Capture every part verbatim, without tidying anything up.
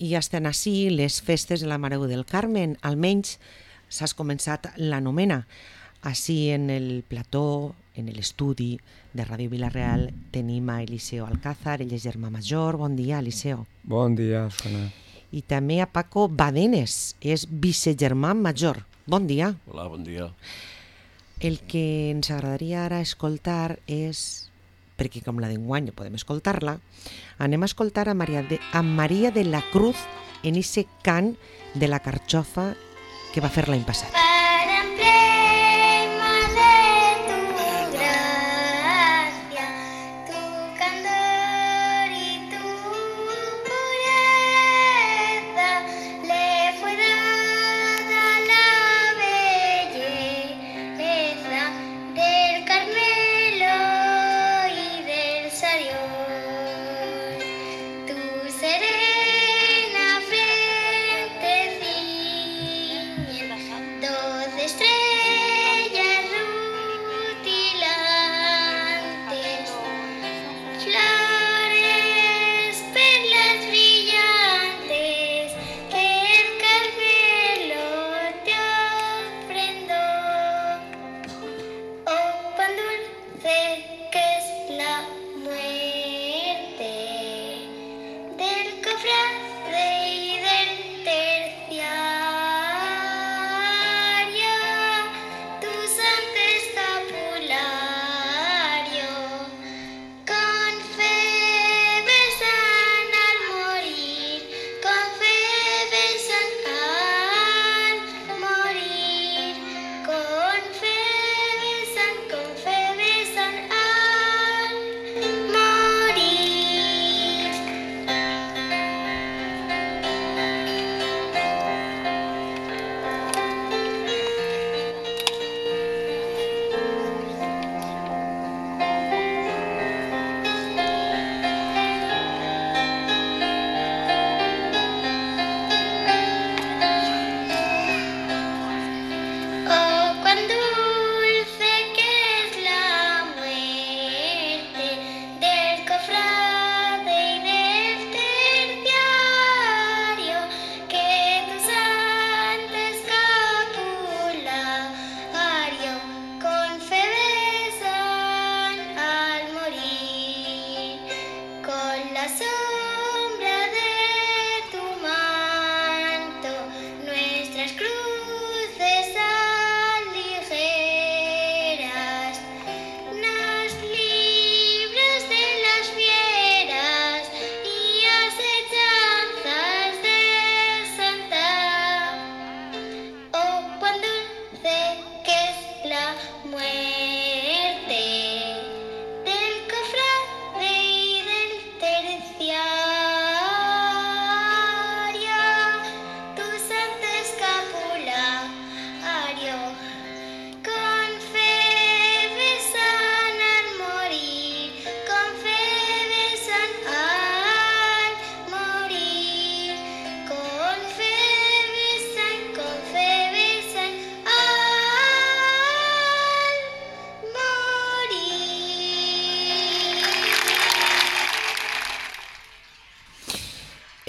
i ja estan així les festes de la Mare del Carmen, almenys s'has començat la novena. Així en el plató, en l'estudi de Ràdio Vila-real, tenim a Eliseo Alcázar, ell és germà major. Bon dia, Eliseo. Bon dia, Sona. I també a Paco Badenes, és vicegermà major. Bon dia. Hola, bon dia. El que ens agradaria ara escoltar és, perquè com la d'enguany no podem escoltar-la, anem a escoltar a Maria de, a Maria de la Cruz en ese cant de la carxofa que va fer l'any passat.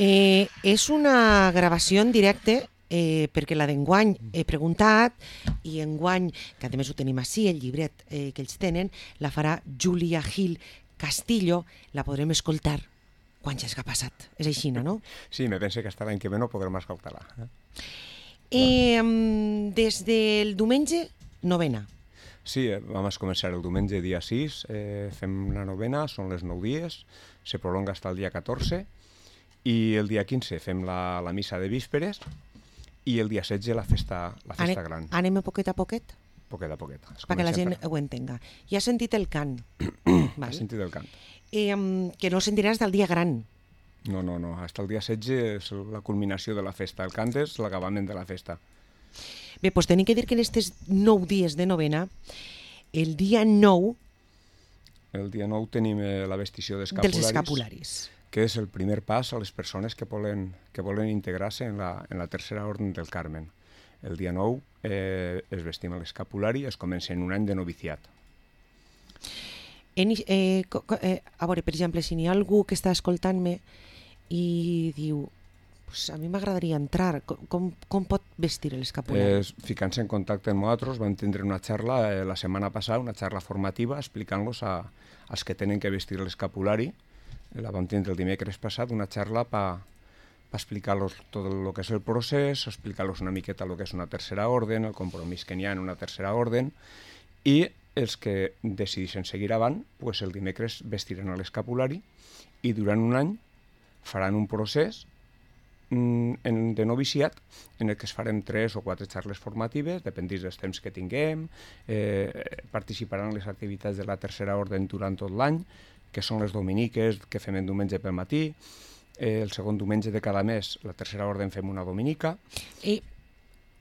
Eh, és una gravació en directe eh, perquè la d'enguany he preguntat i enguany, que a més ho tenim així, el llibret eh, que ells tenen, la farà Júlia Gil Castillo, la podrem escoltar quan ja és que ha passat. És així, no? Sí, me pense que hasta l'any que ve no podrem escoltar-la. Eh? Eh, des del diumenge, novena. Sí, vam començar el diumenge dia sis, eh, fem la novena, són les nou dies, se prolonga fins al dia catorze, i el dia quinze fem la, la missa de vísperes i el dia setze la festa, la festa Ane, gran. Anem a poquet a poquet? Poquet a poquet. Perquè la gent per... ho entenga. Ja has sentit el cant. Val? Has sentit el cant. Eh, que no sentiràs del dia gran. No, no, no. Fins al dia setze és la culminació de la festa. El cant és l'acabament de la festa. Bé, doncs tenim que dir que en aquests nou dies de novena, el dia nou... El dia nou tenim eh, la vestició d'escapularis. Dels escapularis. Que és el primer pas a les persones que volen, que volen integrar-se en, la, en la tercera orden del Carmen. El dia nou eh, es vestim l'escapulari i es comença en un any de noviciat. En, eh, eh, a veure, per exemple, si n'hi ha algú que està escoltant-me i diu pues a mi m'agradaria entrar. Com, com, com pot vestir l'escapulari? Eh, Ficant-se en contacte amb nosaltres, vam tindre una xarra eh, la setmana passada, una xarra formativa, explicant-los als que tenen que vestir l'escapulari. La vam tindre el dimecres passat, una xarra per pa explicar-los tot el que és el procés, explicar-los una miqueta el que és una tercera orden, el compromís que n'hi ha en una tercera orden, i els que decidissin seguir avant, pues el dimecres vestiran l'escapulari i durant un any faran un procés mm, de noviciat en el que es farem tres o quatre xarles formatives, dependís dels temps que tinguem, eh, participaran en les activitats de la tercera orden durant tot l'any, que són les dominiques que fem en diumenge pel matí. Eh, el segon diumenge de cada mes, la tercera orden, fem una dominica. I,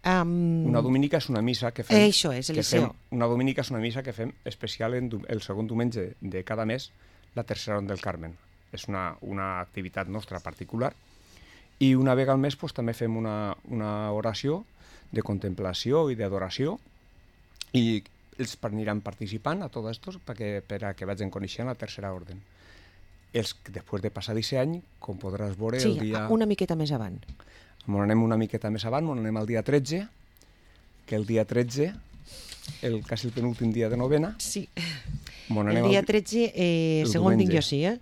um... Una dominica és una missa que fem... Eh, això és, Eliseo. Fem, una dominica és una missa que fem especial en el segon diumenge de cada mes, la tercera orden del Carmen. És una, una activitat nostra particular. I una vegada al mes pues, també fem una, una oració de contemplació i d'adoració, i ells aniran participant a tot això perquè, per a que vagin coneixent la tercera orden. Els que després de passar aquest any, com podràs veure, sí, el dia... Sí, una miqueta més avant. M'on anem una miqueta més avant, m'on anem al dia tretze, que el dia tretze, el, quasi el penúltim dia de novena... Sí, el dia tretze, eh, segons tinc jo sí, eh?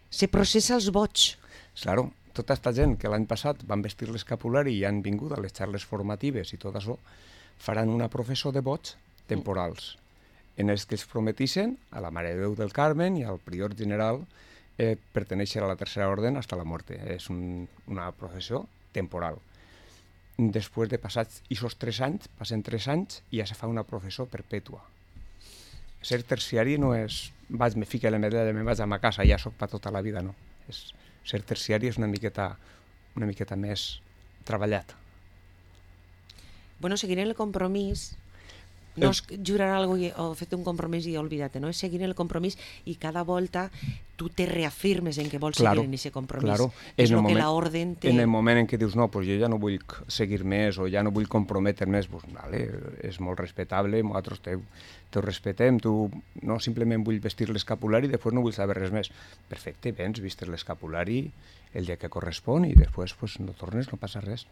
Se processa els boig. Claro, tota aquesta gent que l'any passat van vestir l'escapulari i han vingut a les xarles formatives i tot això, faran una professó de boig temporals, en els que es prometissin a la Mare de Déu del Carmen i al prior general eh, pertenèixer a la tercera orden fins a la mort. És un, una professió temporal. Després de passats aquests tres anys, passen tres anys i ja se fa una professó perpètua. Ser terciari no és vaig, me fique la medalla, me vaig a ma casa i ja soc per tota la vida, no. És, ser terciari és una miqueta, una miqueta més treballat. Bueno, seguir el compromís... No és jurar alguna cosa o fer un compromís i oblidar-te, no? És seguir el compromís i cada volta tu te reafirmes en que vols claro, seguir en aquest compromís. Claro. És el moment, que l'orden té... En el moment en què dius, no, pues jo ja no vull seguir més o ja no vull comprometre més, pues, vale, és molt respectable, nosaltres te, te ho respetem, tu no simplement vull vestir l'escapulari i després no vull saber res més. Perfecte, vens, vistes l'escapulari el dia que correspon i després pues, no tornes, no passa res.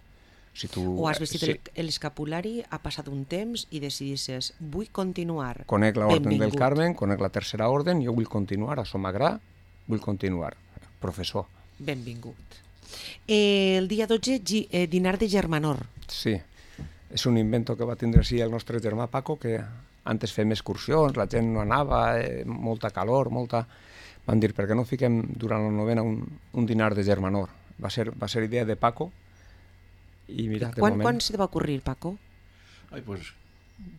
Si tu, o has vestit sí. l'escapulari, ha passat un temps i decidisses, vull continuar. Conec l'orden Benvingut. del Carmen, conec la tercera orden, jo vull continuar, això m'agrada, vull continuar. Professor. Benvingut. Eh, el dia dotze, eh, dinar de germanor. Sí, és un invento que va tindre sí el nostre germà Paco, que antes fem excursions, la gent no anava, eh, molta calor, molta... Van dir, per què no fiquem durant la novena un, un dinar de germanor? Va ser, va ser idea de Paco. I mira, de quan, moment... quan se te va ocurrir, Paco? Ai, pues,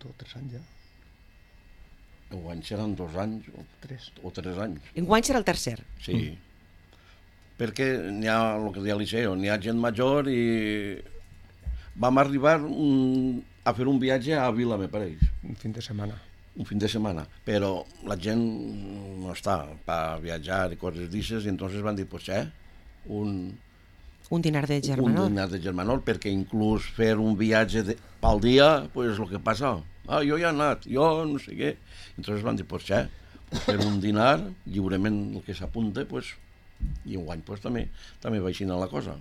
dos o tres anys ja. Enguany seran dos anys o tres, o tres anys. Enguany serà el tercer. Sí, mm. perquè n'hi ha, el que deia Eliseo, n'hi ha gent major i vam arribar un, a fer un viatge a Vila, me pareix. Un fin de setmana. Un fin de setmana, però la gent no està per viatjar i coses d'aixes i entonces van dir, pues, eh, un... Un dinar de germanor. Un dinar de germanor, perquè inclús fer un viatge de, pel dia, pues el que passa, ah, jo ja he anat, jo no sé què. Entonces van dir, pues ja, fer un dinar, lliurement el que s'apunta, pues, i enguany pues, també, també va així la cosa.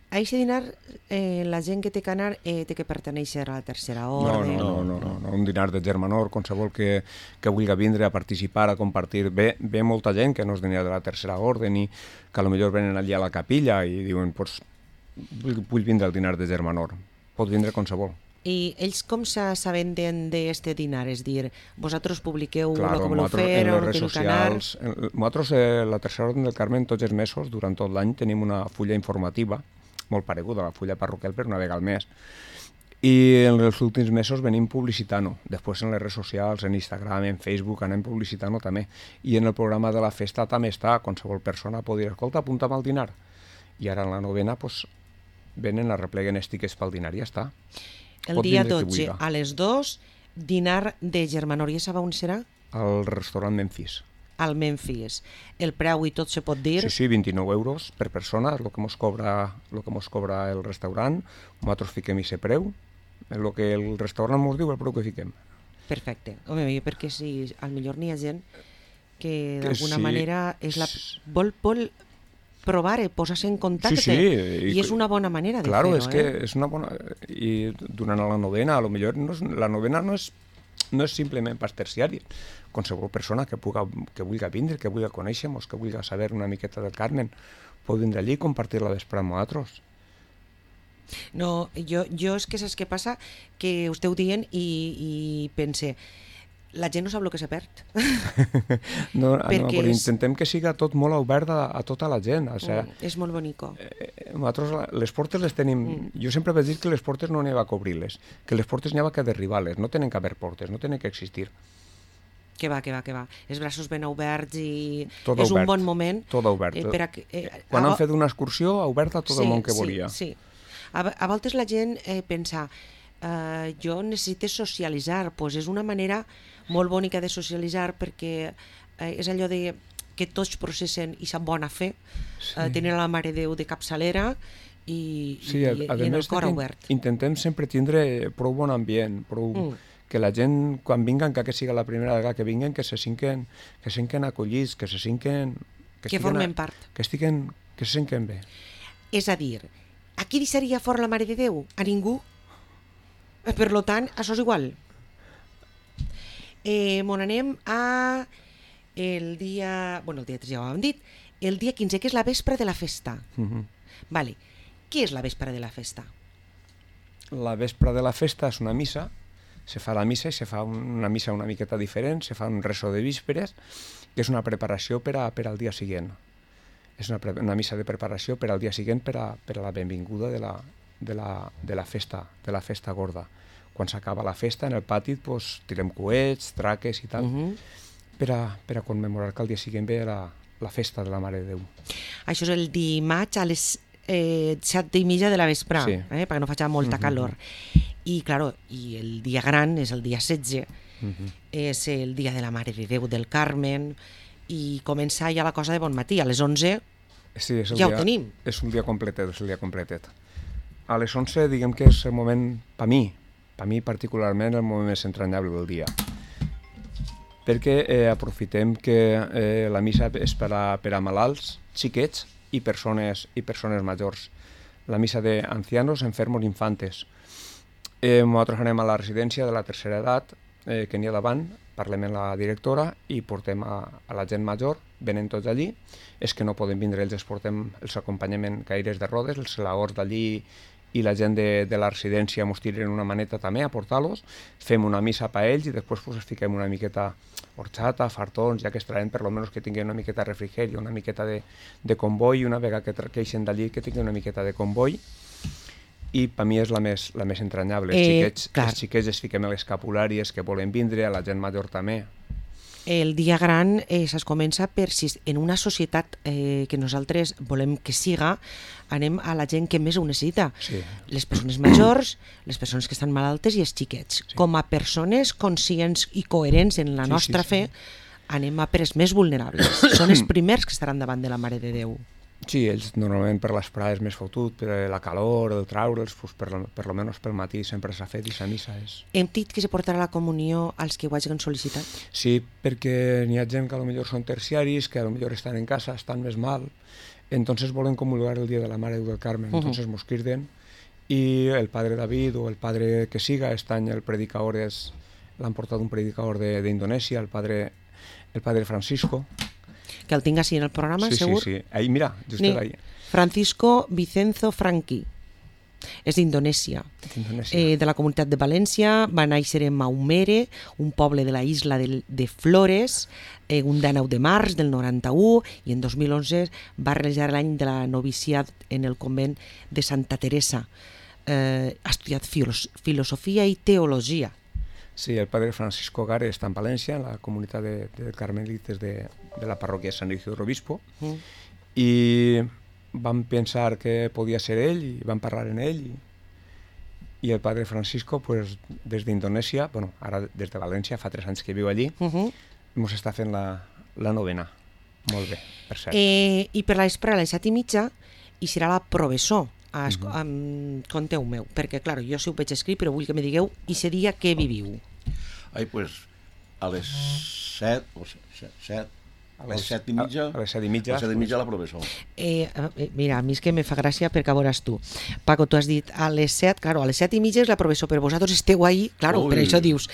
A aquest dinar, eh, la gent que té que anar eh, té que pertenèixer a la tercera No, orden. no, no, no, no, no, un dinar de germanor, qualsevol que, que vulgui vindre a participar, a compartir. Ve, ve molta gent que no és dinar de la tercera orden i que potser venen allà a la capilla i diuen, pues, vull, vull vindre al dinar de germanor. Pot vindre qualsevol. I ells com s'assabenten d'este dinar? És dir, vosaltres publiqueu claro, el que voleu fer, en o les redes socials. Nosaltres, eh, la tercera orden del Carmen, tots els mesos, durant tot l'any, tenim una fulla informativa molt pareguda a la fulla parroquial per una vegada al mes. I en els últims mesos venim publicitant-ho. Després en les redes socials, en Instagram, en Facebook, anem publicitant-ho també. I en el programa de la festa també està, qualsevol persona pot dir, escolta, apunta'm al dinar. I ara en la novena, pues, venen, arrepleguen els tiquets pel dinar i ja està. El dia dotze, a les dues, dinar de germanor. I sabe on serà? Al restaurant Memphis. Al Memphis. El preu i tot se pot dir? Sí, sí, vint-i-nou euros per persona, és el que mos cobra, el que mos cobra el restaurant. Nosaltres fiquem aquest preu, el que el restaurant mos diu, el preu que fiquem. Perfecte. Home, perquè si al millor n'hi ha gent que d'alguna sí, manera és la... vol, vol provar-ho, posar-se en contacte. Sí, sí. I, I és una bona manera de claro, fer-ho. És que eh? és una bona... I durant la novena, a lo millor no és... la novena no és, no és simplement pas terciari. Qualsevol persona que, puga, que vulgui vindre, que vulgui conèixer-nos, que vulgui saber una miqueta del Carmen, pot vindre allí i compartir la vespre amb nosaltres. No, jo, jo és que saps què passa? Que ho esteu dient i, i pense, la gent no sap el que s'ha perd. No, no, però és... intentem que siga tot molt obert a, a tota la gent. O sigui, mm, és molt bonico. Eh, nosaltres les portes les tenim... Mm. Jo sempre vaig dir que les portes no n'hi ha que obrir-les, que les portes n'hi ha que derribar-les, no tenen que haver portes, no tenen que existir. Que va, que va, que va. Els braços ben oberts i tot és obert, un bon moment. Tot obert. Eh, per a, eh, Quan a... han fet una excursió, ha obert a tot sí, el món que sí, volia. Sí, a, a voltes la gent eh, pensa eh, jo necessito socialitzar, pues és una manera molt bonica de socialitzar perquè eh, és allò de que tots processen i s'han bona fe, sí. eh, tenen la Mare de Déu de capçalera i, sí, i, a, a i en el més cor obert. Intentem sempre tindre prou bon ambient, prou... Mm. que la gent, quan vinguen, que siga la primera vegada que vinguen, que se sinquen, que se sinquen acollits, que se sinquen... Que, que formen a, part. Que, estiguen, que se sinquen bé. És a dir, a qui deixaria fora la Mare de Déu? A ningú. Per lo tant, això és igual. Eh, Mon anem a el dia... Bueno, el dia tres ja ho hem dit. El dia quinze, que és la vespre de la festa. Uh-huh. Vale. Què és la vespre de la festa? La vespre de la festa és una missa. Se fa la missa i se fa una missa una miqueta diferent, se fa un rezo de vísperes, que és una preparació per, a, per al dia següent. És una, una missa de preparació per al dia següent per a, per a la benvinguda de la, de, la, de la festa, de la festa gorda. Quan s'acaba la festa, en el pati, pues, tirem coets, traques i tal, uh-huh. per, a, per a commemorar que el dia següent ve la, la festa de la Mare de Déu. Això és el dimarts a les eh, set i mitja de la vespre, sí. eh, perquè no faci molta uh-huh. calor. I, claro, i el dia gran és el dia setze, uh-huh. és el dia de la Mare de Déu del Carmen, i comença ja la cosa de bon matí, a les onze sí, és el ja dia, ho tenim. És un dia completet, és el dia completet. A les onze, diguem que és el moment, per mi, per mi particularment, el moment més entranyable del dia. Perquè eh, aprofitem que eh, la missa és per a, per a malalts, xiquets i persones, i persones majors. La missa d'ancianos, enfermos, infantes. Eh, nosaltres anem a la residència de la tercera edat, eh, que n'hi ha davant, parlem amb la directora i portem a, a la gent major, venen tots allí, és que no poden vindre, ells els portem els acompanyament caires de rodes, els laors d'allí i la gent de, de la residència ens tiren una maneta també a portar-los, fem una missa per ells i després pues, els fiquem una miqueta horchata, fartons, ja que es traen per lo menos que tinguin una miqueta de refrigeri, una miqueta de, de comboi, una vegada que queixen d'allí que tinguin una miqueta de comboi. I per mi és la més, la més entranyable. Els, eh, xiquets, els xiquets es fiquem a les escapulàries que volen vindre, a la gent major també. El dia gran eh, es comença per si en una societat eh, que nosaltres volem que siga, anem a la gent que més ho necessita. Sí. Les persones majors, les persones que estan malaltes i els xiquets. Sí. Com a persones conscients i coherents en la sí, nostra sí, sí. fe, anem a per els més vulnerables. Són els primers que estaran davant de la Mare de Déu. Sí, ells normalment per les prades més fotut, per la calor, el traure'ls, pues per, lo, per lo menos pel matí sempre s'ha fet i la missa és... Hem dit que se portarà la comunió als que ho hagin sol·licitat? Sí, perquè n'hi ha gent que a lo millor són terciaris, que a lo millor estan en casa, estan més mal, entonces volen comulgar el dia de la Mare del Carmen, uh-huh. entonces mos criden i el padre David o el padre que siga, este any el predicador és, l'han portat un predicador d'Indonèsia, el padre, el padre Francisco, que el tinc així en el programa, sí, segur? Sí, sí, ahí, mira, just Ni, ahí. Francisco Vicenzo Franqui, és d'Indonèsia, eh, de la comunitat de València, va néixer en Maumere, un poble de la isla de, de Flores, eh, un dinou de març del noranta-u, i en dos mil onze va realitzar l'any de la noviciat en el convent de Santa Teresa. Eh, ha estudiat filos, filosofia i teologia. Sí, el padre Francisco Gare està en València, en la comunitat de, de carmelites de, de la parròquia San Isidro Obispo, mm. i vam pensar que podia ser ell, i vam parlar en ell, i, i el padre Francisco, pues, des d'Indonèsia, bueno, ara des de València, fa tres anys que viu allí, ens uh-huh. està fent la, la novena. Molt bé, per cert. Eh, I per l'espre a les set i mitja hi serà la professó. Uh-huh. Um, conteu-me, perquè clar, jo si ho veig escrit, però vull que me digueu i ese dia què viviu. Ai, pues, a les set, o set, set A les set i mitja, a les set i mitja, a les set i mitja la professor. Eh, eh, mira, a mi és que me fa gràcia perquè a veuràs tu. Paco, tu has dit a les set, claro, a les set i mitja és la professor, però vosaltres esteu ahí, claro, Ui. per això dius.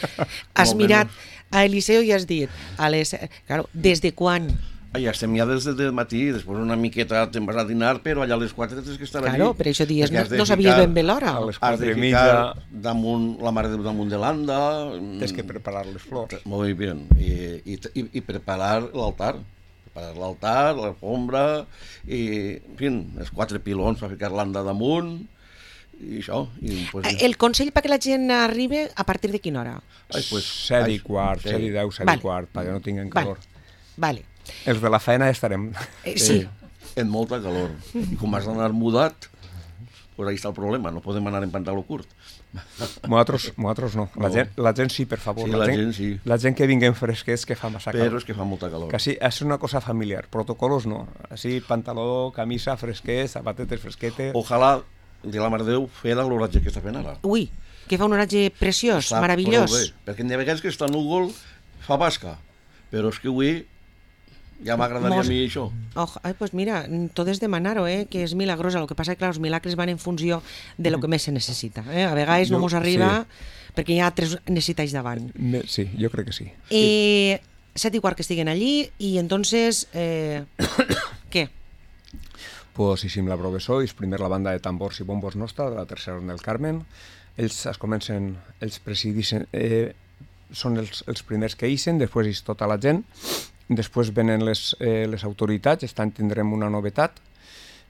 Has No, mirat menys. a Eliseo i has dit, a les set, claro, des de quan? Ah, ja estem ja des del matí, després una miqueta te'n vas a dinar, però allà a les quatre tens que estar allí. Claro, per això dies, Perquè no, has de no sabies ficar- ben bé l'hora. a les Has de quatre i ficar mitja damunt, la mare de damunt de l'anda. tens que preparar les flors. Muy bien. I, i, i, i preparar l'altar. Preparar l'altar, l'alfombra, i, en fi, els quatre pilons per ficar l'anda damunt, i això. I, pues, Eh, El consell perquè la gent arribi a partir de quina hora? ai, pues, set i ai, quart, sí. set i deu, set Vale. i quart, perquè no tinguen Vale, calor. vale. Els de la feina ja estarem. Eh, sí, En molta calor. I com has d'anar mudat, pues ahí està el problema, no podem anar en pantaló curt. Nosaltres, nosaltres no. La, No. gent, la gent sí, per favor. Sí, la gent sí. La gent que vinguen fresquets, que fa massa Però calor. és que fa molta calor. Que sí, és una cosa familiar. Protocolos no. Així, pantaló, camisa, fresquets, zapatetes fresquetes. Ojalà, de la Mare de Déu, fer l'oratge que està fent ara. ui, que fa un oratge preciós, Està meravellós. prou bé, perquè n'hi ha vegades que està núvol, fa basca, però és que avui ja m'agradaria Mos- a mi això. Oh, ai, pues mira, tot és demanar-ho, eh, que és milagrosa. El que passa és que clar, els milagres van en funció de lo que més se necessita. Eh? A vegades no Jo- mos arriba perquè hi ha altres necessitats davant. Me- Sí, jo crec que sí. Eh, set i quart que estiguen allí i entonces, eh, què? Pues hicim la professor, és primer la banda de tambors i bombos nostra, de la tercera Orden del Carmen. Ells es comencen, ells presidixen, eh, són els, els primers que ixen, després és tota la gent, després venen les, eh, les autoritats, estan tindrem una novetat,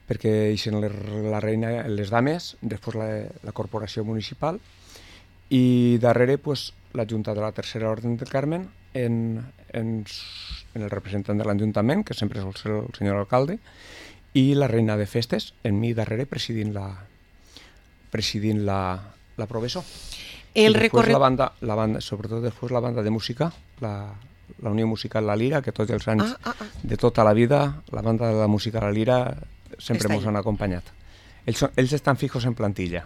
perquè ixen les, la reina, les dames, després la, la corporació municipal, i darrere pues, la Junta de la Tercera Orden del Carmen, en, en, en el representant de l'Ajuntament, que sempre és el, el senyor alcalde, i la reina de festes, en mi darrere, presidint la, presidint la, la professor. El I després recorregut... la banda, la banda, sobretot després la banda de música, la, la Unió Musical La Lira, que tots els anys Ah, ah, ah. de tota la vida, la banda de la música La Lira sempre Està ens allí. han acompanyat. Ells, són, ells estan fijos en plantilla.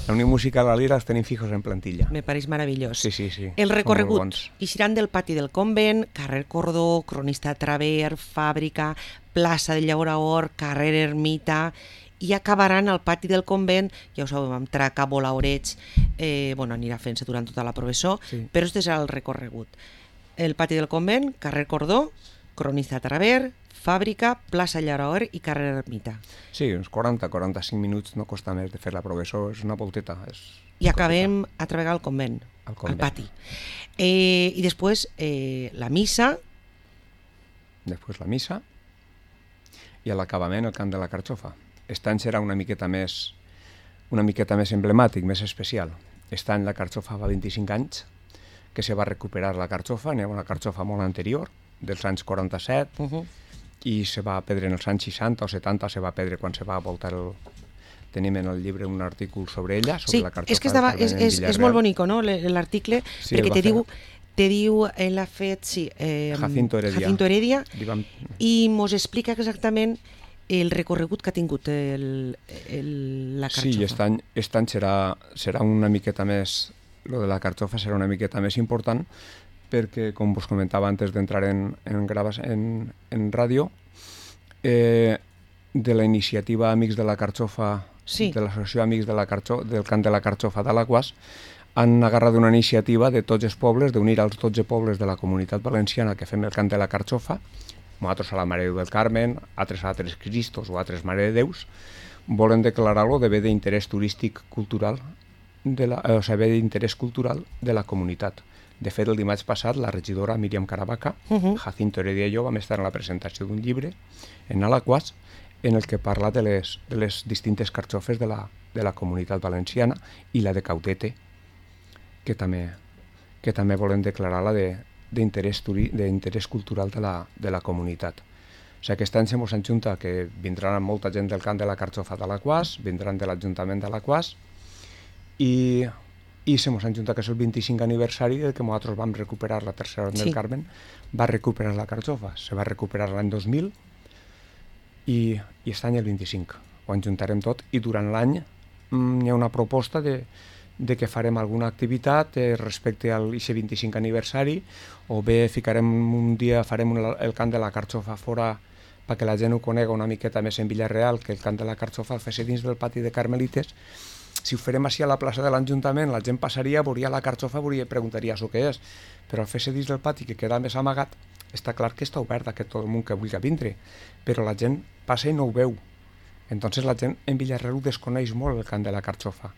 La Unió Musical La Lira els tenim fijos en plantilla. Me pareix meravellós. Sí, sí, sí. El Són recorregut, molt bons. ixiran del pati del convent, carrer Cordó, Cronista Traver, Fàbrica, plaça de Llauraor, carrer Ermita, i acabaran al pati del convent, ja ho sabeu, amb traca, bola, oreig, eh, bueno, anirà fent-se durant tota la professó, Sí. però este serà el recorregut. El pati del convent, carrer Cordó, Cronista Traver, Fàbrica, plaça Llauraor i carrer Ermita. Sí, uns quaranta a quaranta-cinc minuts no costa més de fer la professor, és una volteta. És I acabem a treballar al convent, Al al convent. pati. Eh, I després eh, la missa, Després la missa i a l'acabament el cant de la carxofa. Aquest any serà una miqueta més una miqueta més emblemàtic, més especial. Aquest any la carxofa va vint-i-cinc anys, que se va recuperar la carxofa, n'hi ha una carxofa molt anterior, dels anys quaranta-set, uh -huh. i se va perdre en els anys seixanta o setanta, se va perdre quan se va voltar el... Tenim en el llibre un article sobre ella, sobre Sí, la carxofa. és que estava, del és, Carmen és, és Villarreal. molt bonico, no?, l- l'article, Sí, perquè el va te fer. diu, te diu, ell ha fet, sí, eh, Jacinto Heredia. Jacinto Heredia, Li vam... i mos explica exactament el recorregut que ha tingut el, el, la carxofa. Sí, aquest any, aquest any serà, serà una miqueta més, lo de la carxofa serà una miqueta més important, perquè, com vos comentava antes d'entrar en, en, gravas, en, en ràdio, eh, de la iniciativa Amics de la Carxofa, Sí. de l'associació Amics de la Carxo, del cant de la Carxofa d'Alaquàs, han agarrat una iniciativa de tots els pobles, d'unir els dotze pobles de la comunitat valenciana que fem el cant de la Carxofa, nosaltres a la Mare de Déu del Carmen, altres a altres Cristos o altres Mare de Déus, volen declarar-lo de bé d'interès turístic cultural, de la, eh, o sigui, bé d'interès cultural de la comunitat. De fet, el dimarts passat, la regidora Míriam Caravaca, Uh -huh. Jacinto Heredia i jo vam estar en la presentació d'un llibre en Alaquàs en el que parla de les, de les distintes carxofes de la, de la comunitat valenciana i la de Cautete, que també, que també volen declarar-la de, d'interès turi- d'interès cultural de la, de la comunitat. O sigui, aquest any se mos enjunta que vindran molta gent del cant de la carxofa d'Alaquàs, vindran de l'Ajuntament d'Alaquàs, i, i se mos enjunta que és el vint-i-cinc aniversari del que nosaltres vam recuperar la tercera Orden Sí. del Carmen, va recuperar la carxofa. Se va recuperar l'any dos mil i, i aquest any el vint-i-cinc. Ho enjuntarem tot i durant l'any mm, hi ha una proposta de, de que farem alguna activitat eh, respecte al aquest vint-i-cinquè aniversari, o bé ficarem un dia, farem un, el cant de la carxofa fora perquè la gent ho conega una miqueta més en Villarreal, que el cant de la carxofa el fes dins del pati de Carmelites. Si ho farem així a la plaça de l'Ajuntament, la gent passaria, veuria la carxofa, veuria, preguntaria això què és, però al fer-se dins del pati, que queda més amagat, està clar que està obert a que tot el món que vulgui vindre, però la gent passa i no ho veu. Entonces la gent en Villarreal ho desconeix molt, el cant de la carxofa.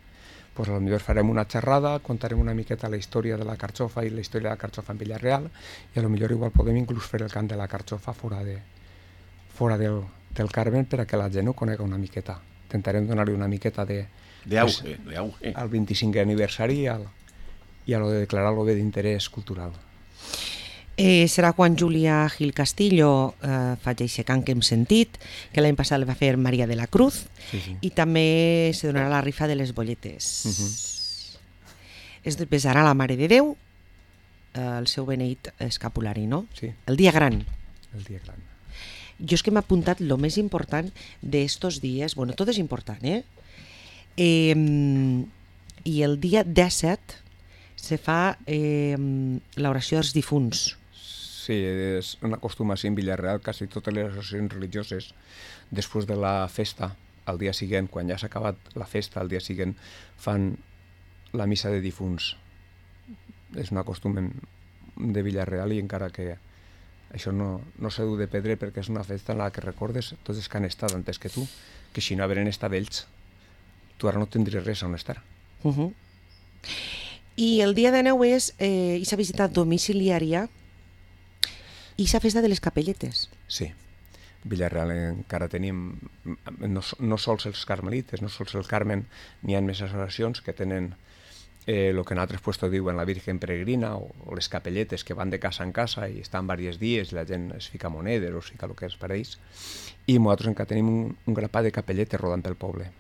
Pues a lo millor farem una xerrada, contarem una miqueta la història de la carxofa i la història de la carxofa en Villarreal, i a lo millor igual podem inclús fer el cant de la carxofa fora, de, fora del, del Carmen per a que la gent ho conega una miqueta. Intentarem donar-li una miqueta de... D'auge, d'auge. Al vint-i-cinquè aniversari i, al, i a lo de declarar-lo bé d'interès cultural. Eh, serà quan Júlia Gil Castillo eh, faci aquest cant que hem sentit, que l'any passat el va fer Maria de la Cruz, Sí, sí. i també se donarà la rifa de les bolletes. Uh-huh. Es besarà la Mare de Déu, eh, el seu beneït escapulari, no? Sí, El dia gran. el dia gran. Jo és que m'ha apuntat lo més important d'estos dies, bueno, tot és important, eh? eh I el dia disset se fa eh, l'oració dels difunts. Sí, és una acostumació en Villarreal, quasi totes les associacions religioses, després de la festa, al dia següent, quan ja s'ha acabat la festa, al dia següent fan la missa de difunts. És una costum de Villarreal i encara que això no, no s'ha dut de perdre perquè és una festa en la que recordes tots els que han estat antes que tu, que si no haveren estat ells, tu ara no tindries res on estar. Uh -huh. I el dia de nou és eh, aquesta visita domiciliària i aquesta festa de les capelletes. Sí, Villarreal encara tenim, no, no sols els carmelites, no sols el Carmen, n'hi ha més associacions que tenen el eh, que en altres puestos diuen la Virgen Peregrina o, o les capelletes que van de casa en casa i estan diversos dies, la gent es fica monedes o es fica el que es pareix, i nosaltres encara tenim un, un grapat de capelletes rodant pel poble.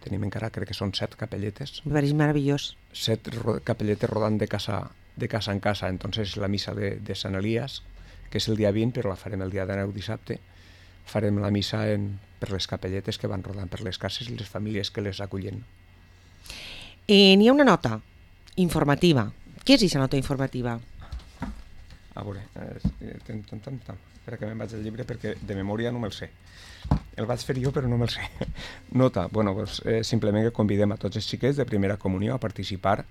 Tenim encara, crec que són set capelletes. Me pareix meravellós. Set ro capelletes rodant de casa, de casa en casa. Entonces la missa de, de Sant Elias, que és el dia vint, però la farem el dia de nou dissabte, farem la missa en, per les capelletes que van rodant per les cases i les famílies que les acullen. Eh, N'hi ha una nota informativa. Què és aquesta nota informativa? A veure, eh, tan, tan, tan, tan. Espera que me'n vaig al llibre perquè de memòria no me'l sé. El vaig fer jo però no me'l sé. Nota, bueno, pues, eh, simplement que convidem a tots els xiquets de primera comunió a participar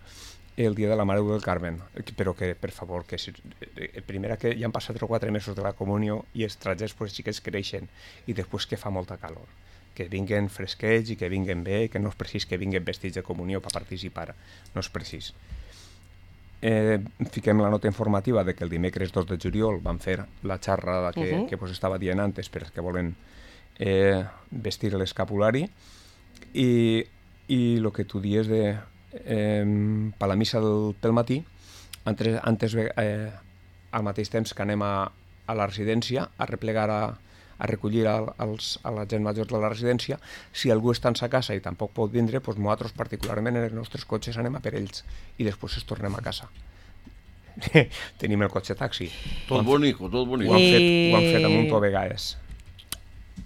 el dia de la Mare del Carmen, però que, per favor, que si, eh, primera que ja han passat tres o quatre mesos de la comunió i els trajets, pues, els xiquets creixen i després que fa molta calor. Que vinguen fresquets i que vinguen bé, que no és precís que vinguen vestits de comunió per participar, no és precís. Eh, fiquem la nota informativa de que el dimecres dos de juliol van fer la xerrada que, uh-huh. que pues, estava dient antes per que volen eh, vestir l'escapulari i el que tu dies de eh, per la missa del, pel matí antes, antes eh, al mateix temps que anem a, a la residència a replegar a a recollir a, als, a la gent major de la residència, si algú està en sa casa i tampoc pot vindre, doncs nosaltres particularment en els nostres cotxes anem a per ells i després es tornem a casa. Tenim el cotxe taxi. Tot bonico, tot bonico. Ho han fet, Eh... ho han fet amb un to a vegades.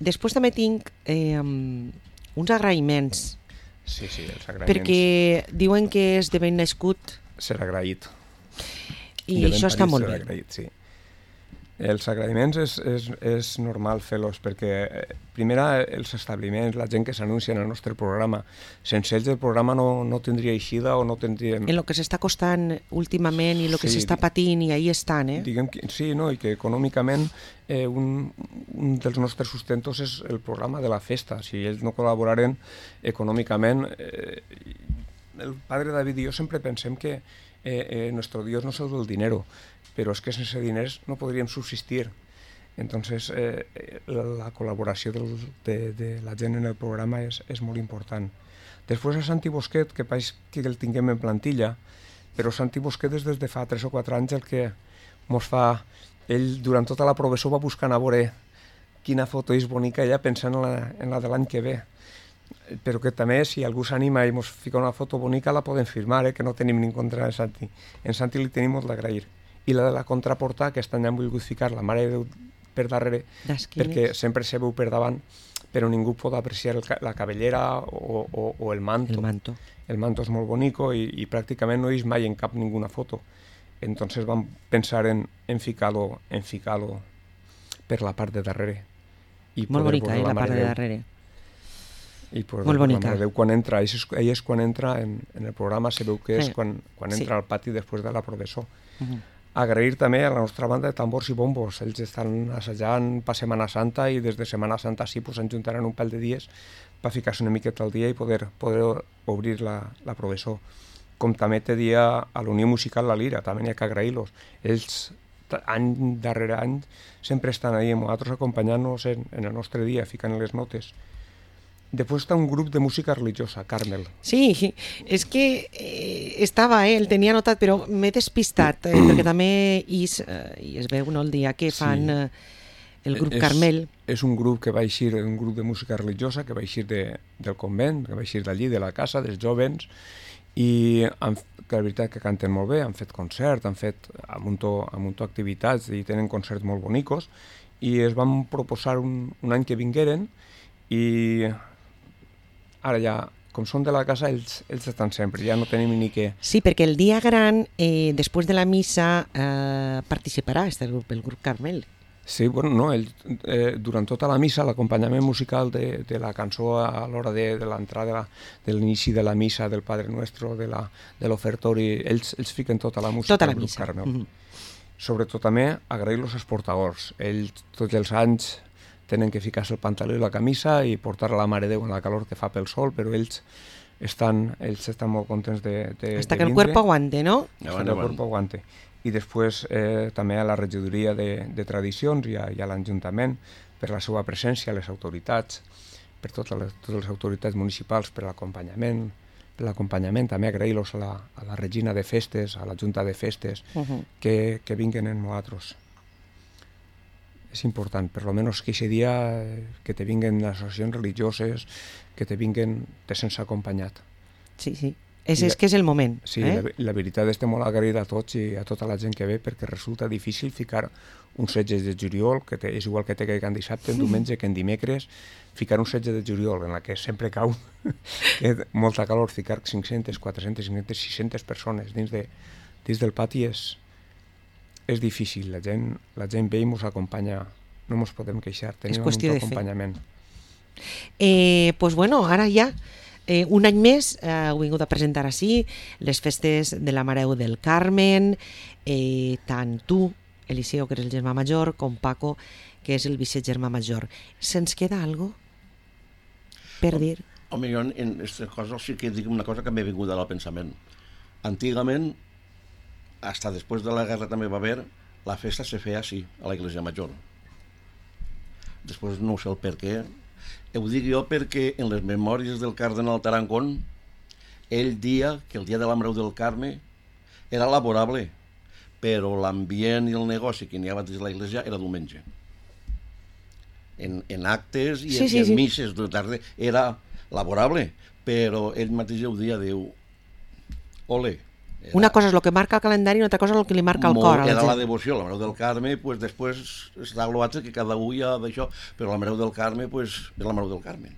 Després també tinc eh, uns agraïments, Sí, sí, els agraïments. perquè diuen que és de ben nascut Ser agraït. i De ben això està parit, molt ser bé. agraït, sí. Els agraïments és, és, és normal fer-los perquè, eh, primera, els establiments, la gent que s'anuncia en el nostre programa, sense ells el programa no, no tindria eixida o no tindríem... En el que s'està costant últimament i el que Sí, s'està patint i ahí estan, eh? Diguem que, sí, no? I que econòmicament eh, un, un dels nostres sustentos és el programa de la festa. Si ells no col·laboraren econòmicament... Eh, el padre David i jo sempre pensem que eh, eh, nuestro Dios no es el del dinero, però és que sense diners no podríem subsistir. Entonces, eh, la, la col·laboració del, de, de la gent en el programa és, és molt important. Després a Santi Bosquet, que país que el tinguem en plantilla, però Santi Bosquet és des de fa tres o quatre anys el que mos fa... Ell durant tota la professó va buscant a veure quina foto és bonica ella pensant en la, en la de l'any que ve. Però que també si algú s'anima i mos fica una foto bonica la podem firmar, eh? Que no tenim ni en contra de Santi. En Santi li tenim molt d'agrair. I la de la contraportada, que aquest any han volgut ficar la Mare de Déu per darrere, D'esquines. perquè sempre se veu per davant, però ningú pot apreciar el, la cabellera o, o, o el manto. El manto. El manto és molt bonico i, i pràcticament no he vist mai en cap ninguna foto. Entonces vam pensar en, en ficar-lo en ficar-lo per la part de darrere. I molt bonica, eh, la, la part de darrere. I poder molt bonica. La Déu quan entra, ell és, ell és quan entra en, en el programa, se veu que és eh, quan, quan entra sí. al pati després de la professó. Uh-huh. Agrair també a la nostra banda de tambors i bombos. Ells estan assajant per Setmana Santa i des de Setmana Santa sí pues, s'enjuntaran un pèl de dies per ficar-se una miqueta al dia i poder, poder obrir la, la professó. Com també té dia a la Unió Musical La Lira, també n'hi ha que agrair-los. Ells, any darrere any, sempre estan ahí amb nosaltres acompanyant-nos en, en el nostre dia, ficant les notes. Després està un grup de música religiosa, Carmel. Sí, és que eh, estava, eh, el tenia anotat, però m'he despistat, eh, perquè també is, eh, i es veu no, el dia que fan eh, el grup és, Carmel. És un grup que va eixir, un grup de música religiosa que va eixir de, del convent, que va eixir d'allí, de la casa, dels jovens, i han, que la veritat que canten molt bé, han fet concert, han fet a muntó, a muntó activitats i tenen concerts molt bonicos, i es van proposar un, un any que vingueren, i ara ja, com són de la casa, ells, ells estan sempre, ja no tenim ni què... Sí, perquè el dia gran, eh, després de la missa, eh, participarà este grup, el grup Carmel. Sí, bueno, no, ell, eh, durant tota la missa, l'acompanyament musical de, de la cançó a l'hora de, de l'entrada, de l'inici de la missa, del Padre Nuestro, de l'ofertori, ells, ells fiquen tota la música tota la del grup missa. Carmel. Mm-hmm. Sobretot també agrair-los als portadors. Ells tots els anys tenen que ficar-se el pantaló i la camisa i portar a la Mare Déu en la calor que fa pel sol, però ells estan, ells estan molt contents de, de, Hasta de que el cuerpo aguante, ¿no? Hasta que el cuerpo aguante. I després eh, també a la regidoria de, de tradicions i a, i a l'Ajuntament per la seva presència, a les autoritats, per totes les, totes les autoritats municipals per l'acompanyament, per l'acompanyament, també agrair-los a, la, a la Regina de Festes, a la Junta de Festes, uh-huh. que, que vinguen en nosaltres. És important, per almenys que aquest dia que te vinguen les associacions religioses, que te vinguen te sense acompanyat. Sí, sí. És, és que és el moment. Sí, eh? la, la veritat estem molt agraïts a tots i a tota la gent que ve perquè resulta difícil ficar un setze de juliol, que té, és igual que té que en dissabte, en diumenge, que en dimecres, ficar un setze de juliol en la que sempre cau que molta calor, ficar cinc-centes, quatre-centes, cinc-centes, sis-centes persones dins, de, dins del pati és, és difícil. La gent, la gent ve i ens acompanya, no ens podem queixar, tenim un acompanyament. Eh, pues bueno, ara ja Eh, un any més eh, heu vingut a presentar així les festes de la Mare Déu del Carmen, eh, tant tu, Eliseo, que eres el germà major, com Paco, que és el vicegermà major. Se'ns queda alguna cosa per dir? Home, jo en aquesta cosa sí que dic una cosa que m'he vingut al pensament. Antigament, hasta després de la guerra també va haver, la festa se feia així, a la Iglesia Major. Després no sé el per què. Ho dic jo perquè en les memòries del cardenal Tarancón ell dia que el dia de la Mare Déu del Carme era laborable, però l'ambient i el negoci que n'hi havia dins de l'església era diumenge. En, en actes i, sí, en, sí, i en sí. misses de tarda era laborable, però ell mateix ho dia, diu, ole. Era, una cosa és el que marca el calendari i una altra cosa és el que li marca el molt, cor a la era gent. la devoció, la Mare Déu del Carme, pues, després està l'altre que cada un ja d'això, però la Mare Déu del Carme pues, és la Mare Déu del Carme.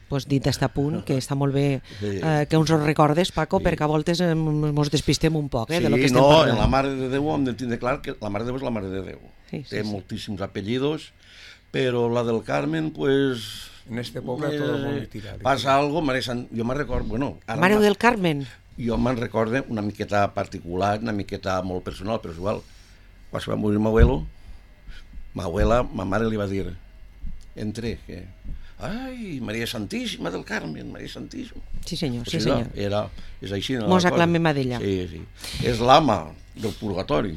Pues dit està a punt, que està molt bé eh, que ens ho recordes, Paco, sí. perquè a voltes ens despistem un poc eh, sí, de lo que estem no, parlant. En la Mare de Déu hem de tindre clar que la Mare de Déu és la Mare de Déu. Sí, sí, té sí. moltíssims apellidos, però la del Carmen, pues... En este poble eh, tot el món li tira. Passa algo, Mare Sant... jo me'n recordo... Bueno, ara Mare del Carmen. Jo me'n recordo una miqueta particular, una miqueta molt personal, però és igual. Quan se va morir m'abuelo, m'abuela, ma mare li va dir, entre, que... Ai, Maria Santíssima del Carmen, Maria Santíssima. Sí senyor, pues sí senyor. Era, és així. Mos aclamem a d'ella. Sí, sí. És l'ama del purgatori.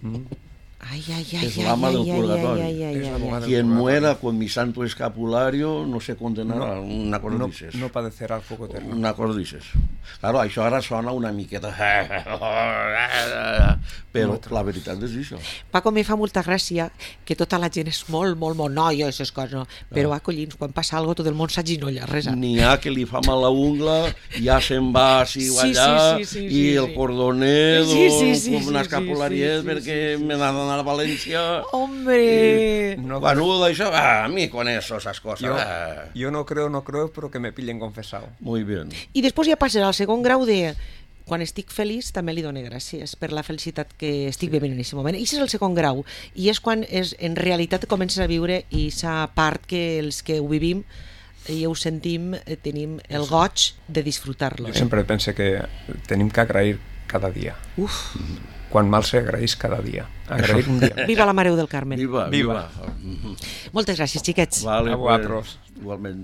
Mm. Ai, ai, ai, es l'ama ai, del ai, purgatori. ai, ai, ai, ai, ai. Quien muera con mi santo escapulario no se condenará. No, una cosa no, dices. no padecerá el fuego eterno. Una cosa dices. Claro, això ara sona una miqueta... Però la veritat és això. Paco, me fa molta gràcia que tota la gent és molt, molt monoia, aquestes coses, no? Però, ah, collins, quan passa alguna cosa, tot el món s'aginolla, res. N'hi ha que li fa mal la ungla, ja se'n va així o allà, sí, sí, sí, i sí, el sí. cordonet, Sí, sí, sí, com una sí, escapulariet, sí, sí, perquè sí, sí, me n'ha d'anar a València. Hombre! No, bueno, d'això, ah, a mi con eso, esas cosas. Yo, ah. yo no creo, no creo, pero que me pillen confesado. Muy bien. I després ja passes al segon grau de... Quan estic feliç també li dono gràcies per la felicitat que estic vivint en aquest moment. I és el segon grau, i és quan és, en realitat comences a viure i aquesta part que els que ho vivim i ho sentim, eh, tenim el goig de disfrutar-lo. Jo eh? sempre pense que tenim que agrair cada dia. Uf. Quan mal s'agraeix cada dia. Agrair un dia. Viva la Mareu del Carmen. Viva, Viva. viva. Moltes gràcies, xiquets. Vale, A vosaltres. pues, igualment.